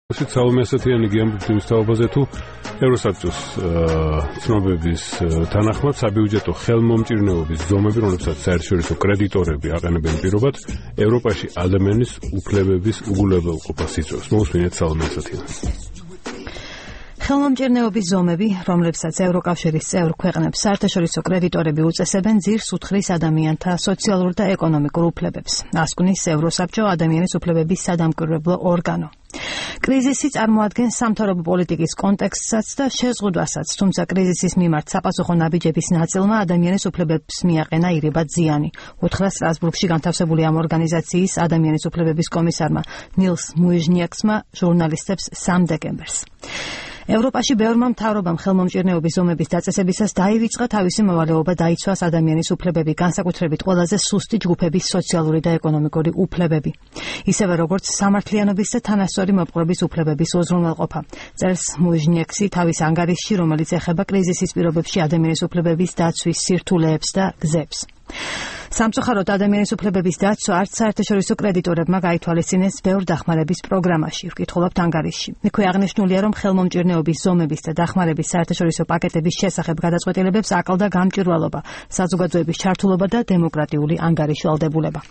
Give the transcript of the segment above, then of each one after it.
Salome Satiani გიამბობთ თავაზე თუ ევროსაბჭოს ცნობების თანახმად საბიუჯეტო ხელმომჭირნეობის ზომები, რომლებსაც საერთაშორისო კრედიტორები აყენებენ პირობად, ევროპაში ადამიანის უფლებების უგულებელყოფას იწვევს. მოусმინეთ Salome Satiani. ხელმომჭირნეობის ზომები, რომლებსაც ევროკავშირის წევრ ქვეყნებს საერთაშორისო კრედიტორები უწესებენ, ძირს უთხრის ადამიანთა სოციალურ და ეკონომიკურ უფლებებს. ასკვნის ევროსაბჭო ადამიანის უფლებების სადამკვირვებლო ორგანო. კრიზისი წარმოადგენს სამთავრობო პოლიტიკის კონტექსტსაც და შეზღუდვასაც, თუმცა კრიზისის მიმართ საპასუხო ნაბიჯების ნაწილმა ადამიანის უფლებებს მიაყენა ირიბად ზიანი. უთხრა სტრასბურგში განთავსებული ამ ორგანიზაციის ადამიანის უფლებების კომისარმა ნილს მუიჟნიექსმა ჟურნალისტებს 3 დეკემბერს. ევროპაში ბევრმა მთავრობამ ხელმომჭირნეობის ზომების დაწესებისას დაივიწყა თავისი მოვალეობა დაიცვას ადამიანის უფლებები, განსაკუთრებით ყველაზე სუსტი ჯგუფების სოციალური და ეკონომიკური უფლებები. ისევე როგორც სამართლიანობის და თანასწორი მოპყრობის უფლებების უზრუნველყოფა. წერს მუიჟნიექსი თავის ანგარიშში, რომელიც ეხება კრიზისის პირობებში ადამიანის უფლებების დაცვის სირთულეებს და გზებს. სამწუხაროდ ადამიანის უფლებების დაცვა არც საერთაშორისო კრედიტორებმა გაითვალისწინეს ბევრ დახმარების პროგრამაში, ვკითხულობთ ანგარიშში. იქვე აღნიშნულია, რომ ხელმომჭირნეობის ზომების და დახმარების საერთაშორისო პაკეტების შესახებ გადაწყვეტილებებს აკლდა გამჭვირვალობა, საზოგადოების ჩართულობა და დემოკრატიული ანგარიშვალდებულება.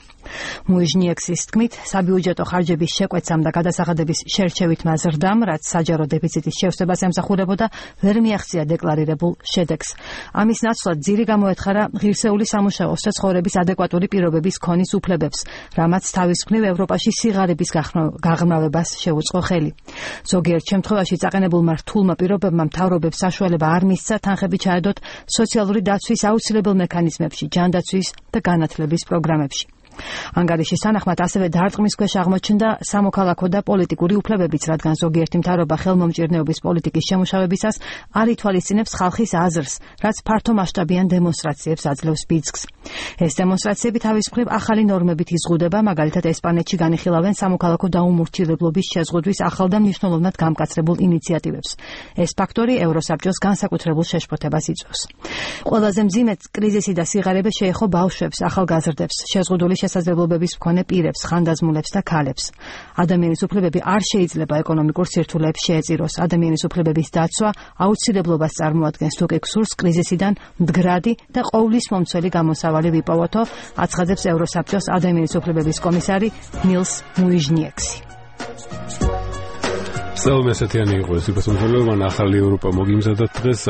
მუიჟნიექსის თქმით, საბიუჯეტო ხარჯების შეკვეცამ და გადასახადების შერჩევითმა ზრდამ, რაც საჯარო დეფიციტის შევსებას ემსახურებოდა, ვერ მიაღწია დეკლარირებულ შედეგს. ამის ნაცვლად ძირი გამოეთხარა ღირსეული სამუშაოს და ცხოვრების ადეკვატური პირობების ქონის უფლებებს, რამაც თავის მხრივ ევროპაში სიღარიბის გაღრმავებას შეუწყო ხელი. ზოგიერთ შემთხვევაში წაყენებულმა რთულმა პირობებმა მთავრობებს საშუალება არ მისცა თანხები ჩაედოთ სოციალური დაცვის აუცილებელ მექანიზმებში, ჯანდაცვის და განათლების პროგრამებში. ანგარიშის თანახმად ასევე დარტყმის ქვეშ აღმოჩნდა სამოქალაქო და პოლიტიკური უფლებებიც, რადგან ზოგიერთი მთავრობა ხელმომჭირნეობის პოლიტიკის შემუშავებისას არ ითვალისწინებს ხალხის აზრს, რაც ფართომასშტაბიან დემონსტრაციებს აძლევს ბიძგს. ეს დემონსტრაციები თავის მხრივ ახალი ნორმებით იზღუდება, მაგალითად ესპანეთში განიხილავენ სამოქალაქო დაუმორჩილებლობის შეზღუდვის ახალ და მნიშვნელოვნად გამკაცრებულ ინიციატივებს. ეს ფაქტორი ევროსაბჭოს განსაკუთრებულ შეშფოთებას იწვევს. ყველაზე მძიმედ კრიზისი და სიღარიბე შეეხო ბავშვებს, ახალგაზრდებს, შეზღუდული შესაძლებლობების მქონე პირებს, ხანდაზმულებს და ქალებს. ადამიანის უფლებები არ შეიძლება ეკონომიკურ სირთულეებს შეეწიროს. ადამიანის უფლებების დაცვა აუცილებლობას წარმოადგენს, თუ კი გსურს კრიზისიდან მდგრადი და ყოვლისმომცველი გამოსავალი ვიპოვოთო, აცხადებს ევროსაბჭოს ადამიანის უფლებების კომისარი ნილს მუიჟნიექსი. Salome Satiani იყო ეს უპასუხებლობა, ახალი ევროპა მოგიმზადათ დღეს.